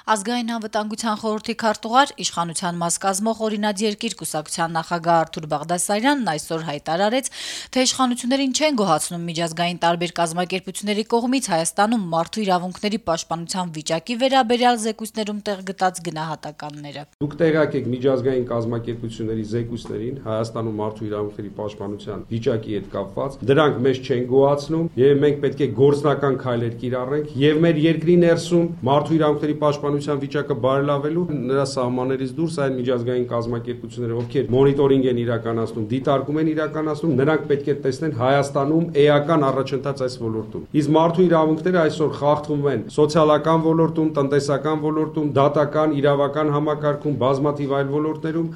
Ազգային անվտանգության խորհրդի քարտուղար, իշխանության մաս կազմող «Օրինաց երկիր» կուսակցության նախագահ Արթուր Բաղդասարյանն այսօր հայտարարեց, թե իշխանություններին չեն գոհացնում միջազգային տարբեր կազմակերպությունների կողմից Հայաստանում մարդու իրավունքների պաշտպանության վիճակի վերաբերյալ զեկույցներում տեղ գտած գնահատականները։ Դուք տեղյակ եք միջազգային կազմակերպությունների զեկույցներին Հայաստանում մարդու իրավունքների պաշտպանության վիճակի հետ կապված, դրանք մեզ չեն գոհացնում եւ մենք պետք է գործնական քայլեր կիրառենք եւ մեր երկրի ներսում մարդու իրավունքների պաշտպանության վիճակը բարելավելու նրա սահմաններից դուրս այն միջազգային կազմակերպությունները, ովքեր մոնիտորինգ են իրականացնում, դիտարկում են իրականացնում, նրանք պետք է տեսնեն Հայաստանում էական առաջընթաց այս ոլորտում։ Իսկ մարդու իրավունքները այսօր խախտվում են սոցիալական ոլորտում, տնտեսական ոլորտում, դատական, իրավական համակարգում, բազմաթիվ այլ ոլորտներում։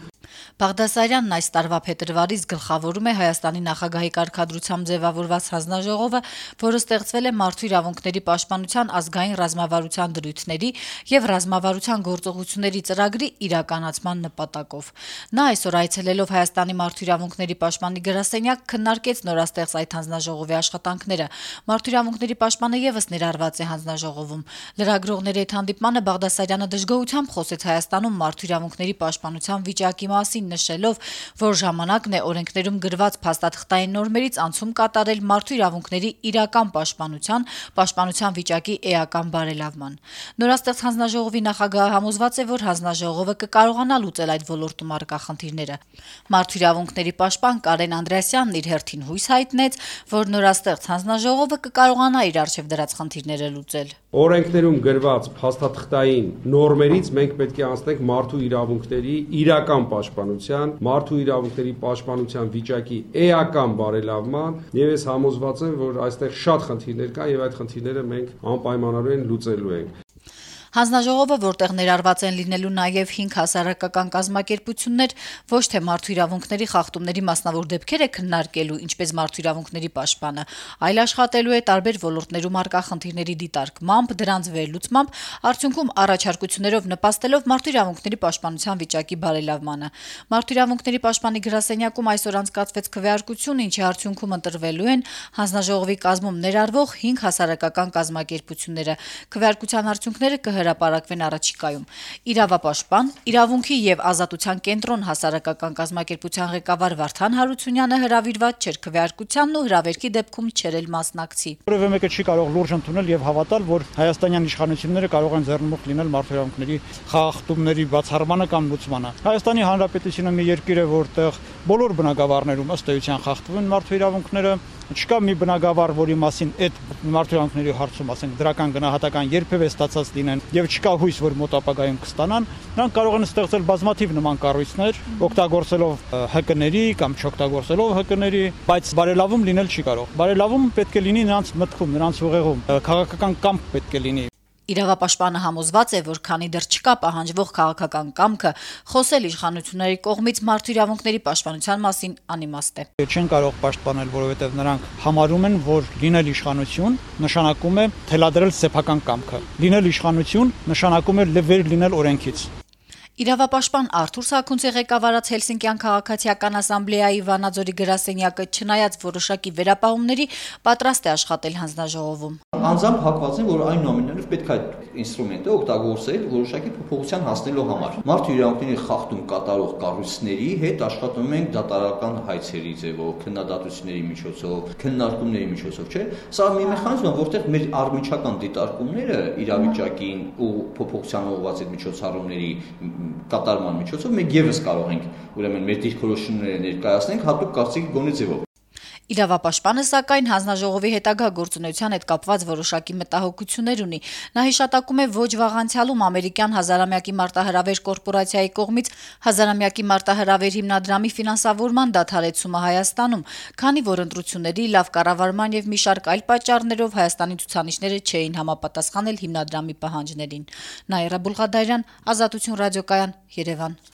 Բաղդասարյանն այս տարվա փետրվարից գլխավորում է Հայաստանի նախագահի կարգադրությամբ ձևավորված հանձնաժողովը, որը ստեղծվել է մարդու իրավունքների պաշտպանության ազգային ռազմավարության դրույթների եւ ռազմավարության գործողությունների ծրագրի իրականացման նպատակով։ Նա այսօր այցելելով Հայաստանի մարդու իրավունքների պաշտպանի գրասենյակ քննարկեց նորաստեղծ այդ հանձնաժողովի աշխատանքները։ Մարդու իրավունքների պաշտպանը եւս ներառված է հանձնաժողովում։ Լրագրողների հետ հանդիպմանը Բաղդասարյանը դժգոհությամբ խոսեց Հայաստանում մարդու իրավունքների պաշտպանության վիճակի մասին, նշելով, որ ժամանակն է օրենքներում գրված փաստաթղթային նորմերից անցում կատարել մարդու իրավունքների իրական պաշտպանության վիճակի էական բարելավման։ Նորաստեղծ հանձնաժողովի նախագահը համոզված է, որ հանձնաժողովը կկարողանա լուծել այդ ոլորտում առկա խնդիրները։ Մարդու իրավունքների պաշտպան Կարեն Անդրեասյանն իր հերթին հույս հայտնեց, որ նորաստեղծ հանձնաժողովը կկարողանա իր առջև դրած խնդիրները լուծել։ Օրենքներում գրված փաստաթղթային նորմերից մենք պետք է անցնենք մարդու իրավունքների իրական պաշտպանության, մարդու իրավունքների պաշտպանության վիճակի էական բարելավման, եւ ես համոզված եմ, որ այստեղ շատ խնդիրներ կան եւ այդ խնդիրները մենք անպայմանորեն լուծելու ենք։ Հանձնաժողովը, որտեղ ներառված են լինելու նաև 5 հասարակական կազմակերպություններ, ոչ թե մարդու իրավունքների խախտումների մասնավոր դեպքեր է քննարկելու, ինչպես մարդու իրավունքների պաշտպանը, այլ աշխատելու է տարբեր ոլորտներում առկա խնդիրների դիտարկմամբ, դրանց վերլուծմամբ, արդյունքում առաջարկություններով նպաստելով մարդու իրավունքների պաշտպանության վիճակի բարելավմանը։ Մարդու իրավունքների պաշտպանի գրասենյակում այսօր անցկացվեց քվեարկություն, ինչի արդյունքում ընտրվելու են հանձնաժողովի կազմում ներառվող 5 հասարակական կազմակերպությունները։ Քվեարկության արդյունքները հրապարակվեն առաջիկայում։ Իրավապաշտպան, իրավունքի եւ ազատության կենտրոն հասարակական կազմակերպության ղեկավար Վարդան Հարությունյանը հրավիրված չէր քվեարկությանն ու հրավերքի դեպքում չէր էլ մասնակցի։ Որևէ մեկը չի կարող լուրջ ընդունել եւ հավատալ, որ հայաստանյան իշխանությունները կարող են ձեռնմուխ լինել մարդու իրավունքների խախտումների բացառմանը կամ լուծմանը։ Հայաստանի Հանրապետությունը մի երկիր է, որտեղ բոլոր բնակավարներում ըստ էության խախտվում են մարդու իրավունքները։ Չկա մի բնակավար, որի մասին այդ մարդու իրավունքների հարցում, ասենք, դրական գնահատական երբևէ ստացած լինեն եւ չկա հույս, որ մոտ ապագայում կստանան, նրանք կարող են ստեղծել բազմաթիվ նման կառույցներ, օգտագործելով ՀԿ-ների կամ չօգտագործելով ՀԿ-ների, բայց բարելավում լինել չի կարող։ Բարելավում պետք է լինի նրանց մտքում, նրանց ուղեղում, քաղաքական կամք պետք է լինի։ Իրավապաշտպանը համոզված է, որ քանի դեռ չկա պահանջվող քաղաքական կամքը, խոսել իշխանությունների կողմից մարդու իրավունքների պաշտպանության մասին անիմաստ է։ Չեն կարող պաշտպանել, որովհետև նրանք համարում են, որ լինել իշխանություն նշանակում է թելադրել սեփական կամքը։ Լինել իշխանություն նշանակում է վեր լինել օրենքից։ Իրավապաշտպան Արթուր Սաքունցի ղեկավարած Հելսինկյան քաղաքացիական ասամբլեայի Վանաձորի գրասենյակը չնայած որոշակի վերապահումների պատրաստ է աշխատել հանձնաժողովում։ Անձամբ հակված են, որ այնուամենայնիվ պետք է այդ ինստրումենտը օգտագործել որոշակի փոփոխության հասնելու համար։ Մարդու իրավունքների խախտում կատարող կառույցների հետ աշխատում ենք դատարական հայցերի ձևով, քննադատությունների միջոցով, քննարկումների միջոցով, չէ՞։ Սա մի մեխանիզմ է, որտեղ մեր առմիջական դիտարկումները իրավիճակին ու փոփոխության ուղղված այդ միջոցառումների կատարման միջոցով մենք եւս կարող ենք ուրեմն մեր դիրքորոշումները ներկայացնենք հատուկ կարծիքի գոնե ձևով։ Իրավապաշտպանը սակայն հանձնաժողովի հետագա գործունեության հետ կապված որոշակի մտահոգություններ ունի։ Նա հիշատակում է ոչ վաղ անցյալում ամերիկյան հազարամյակի մարտահրավեր կորպորացիայի կողմից հազարամյակի մարտահրավեր հիմնադրամի ֆինանսավորման դադարեցումը Հայաստանում, քանի որ ընտրությունների լավ կառավարման եւ մի շարք այլ պատճառներով Հայաստանի ցուցանիշները չէին համապատասխանել հիմնադրամի պահանջներին։ Նաիրա Բուլղադարյան, Ազատություն ռադիոկայան, Երևան։